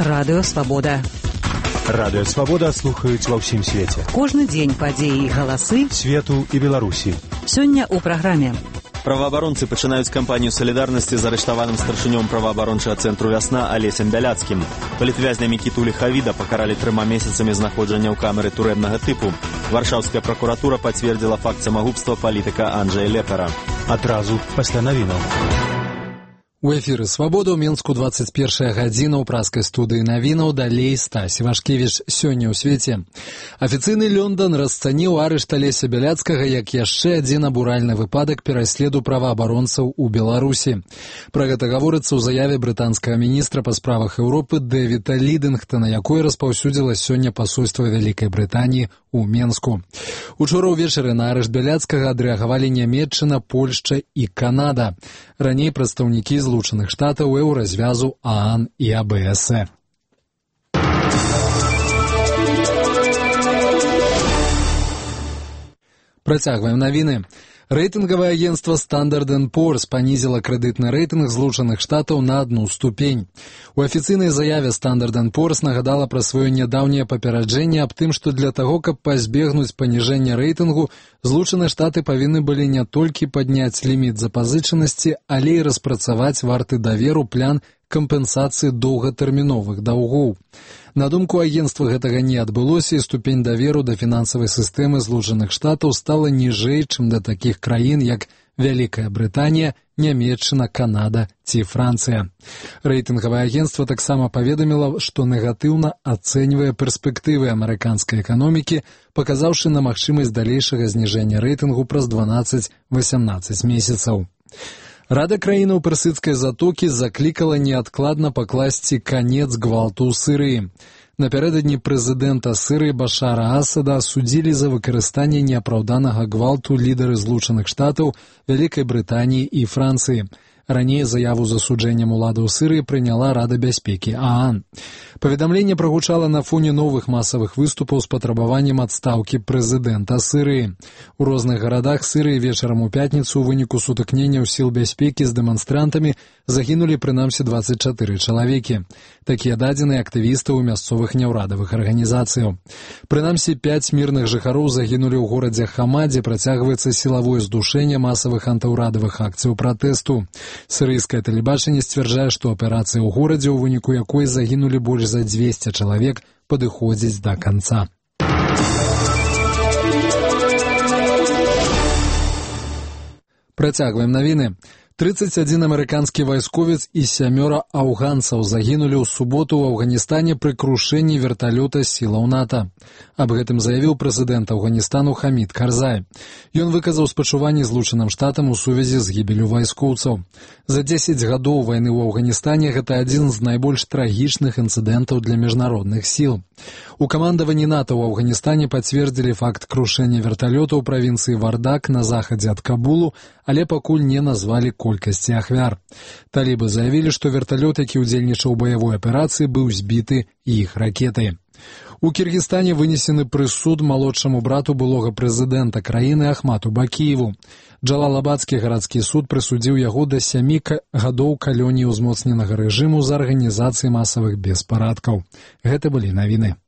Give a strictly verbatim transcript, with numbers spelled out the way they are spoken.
Радыё Свабода. Радыё Свабода слухаюць ва ўсім свеце. Кожны дзень падзеі і галасы свету і Беларусі. Сёння ў праграме. Праваабаронцы пачынаюць кампанію салідарнасці з арыштаваным старшынём праваабарончага цэнтру «Вясна» Алесем Бяляцкім. Палітвязня Мікіту Ліхавіда пакаралі трыма месяцамі знаходжання ў камеры турэмнага тыпу. Варшаўская пракуратура пацвердзіла факт самагубства палітыка Анджэя Лепара. Адразу пасля навінаў. У эфіры «Свабода» ў Менску двадцать першая гадзіна ў праскай студыі навінаў, далей Стась Івашкевіч. Сёння ў свеце. Афіцыйны Лёндан расцаніў арышт Алеся Бяляцкага як яшчэ адзін абуральны выпадак пераследу праваабаронцаў у Беларусі. Пра гэта гаворыцца ў заяве брытанскага міністра па справах Еўропы Дэвіда Лідынгтона, якой распаўсюдзіла сёння пасольства Вялікай Брытаніі у Менску. Учора ўвечары на арышт Бяляцкага адрэагавалі Нямецчына, Польшча і Канада. Раней прадстаўнікі Злучаных Штатаў, Еўразвязу, ААН і АБС. Працягваем навіны. Рэйтынгавае агентства Standard энд Poor's панізіла крэдытны рэйтынг Злучаных Штатаў на адну ступень. У афіцыйнай заяве Standard энд Poor's нагадала пра сваё нядаўняе папераджэнне аб тым, што для таго, каб пазбегнуць паніжэння рэйтынгу, Злучаныя Штаты павінны былі не толькі падняць ліміт запазычанасці, але і распрацаваць варты даверу план кампенсацыі доўгатэрміновых даўгоў. На думку агентства, гэтага не адбылося, і ступень даверу да фінансавай сістэмы Злучаных Штатаў стала ніжэй, чым да такіх краін, як Вялікая Брытанія, Нямецчына, Канада ці Францыя. Рэйтынгавае агентства таксама паведаміла, што негатыўна ацэньвае перспектывы амерыканскай эканомікі, паказаўшы на магчымасць далейшага зніжэння рэйтынгу праз дванаццаць-васямнаццаць месяцаў. Рада краінаў Персідскай затокі заклікала неадкладна пакласці канец гвалту ў Сірыі. Напярэдадні прэзідэнта Сірыі Башара Асада асудзілі за выкарыстанне неапраўданага гвалту лідары Злучаных Штатаў, Вялікай Брытаніі і Францыі. Раней заяву з асуджэннем уладаў Сірыі прыняла Рада бяспекі ААН. Паведамленне прагучала на фоне новых масавых выступаў з патрабаваннем адстаўкі прэзідэнта Сірыі. У розных гарадах Сірыі вечарам у пятніцу ў выніку сутыкненняў сіл бяспекі з дэманстрантамі загінулі прынамсі дваццаць чатыры чалавекі. Такія дадзеныя актывістаў мясцовых няўрадавых арганізацыяў. Прынамсі пяць мірных жыхароў загінулі ў горадзе Хама, дзе працягваецца сілавое здушэнне масавых антыўрадавых акцыяў пратэсту. Сірыйскае тэлебачанне сцвярджае, што аперацыя ў горадзе, у выніку якой загінулі больш за дзвесце чалавек, падыходзіць да канца. Працягваем навіны. тридцать один амерыканскі вайсковец і сямёра афганцаў загінулі ў суботу ў Афганістане пры крушэнні верталёта сілаў НАТО. Аб гэтым заявіў прэзідэнт Афганістану Хамід Карзай. Ён выказаў спачуванні Злучаным Штатам у сувязі з гібеллю вайскоўцаў. За дзесяць гадоў вайны ў Афганістане гэта адзін з найбольш трагічных інцыдэнтаў для міжнародных сіл. У камандаванні НАТО ў Афганістане пацвердзілі факт крушэння верталёта ў правінцыі Вардак на захадзе ад Кабулу, але пакуль не назвалі колькасці ахвяр. Талібы заявілі, што верталёт, які ўдзельнічаў у баявой аперацыі, быў збіты іх ракетай. У Кіргізстане вынесены прысуд малодшаму брату былога прэзідэнта краіны Ахмату Бакіеву. Джалалабадскі гарадскі суд прысудзіў яго да сямі гадоў калоніі ўзмоцненага рэжыму за арганізацыі масавых беспарадкаў. Гэта былі навіны.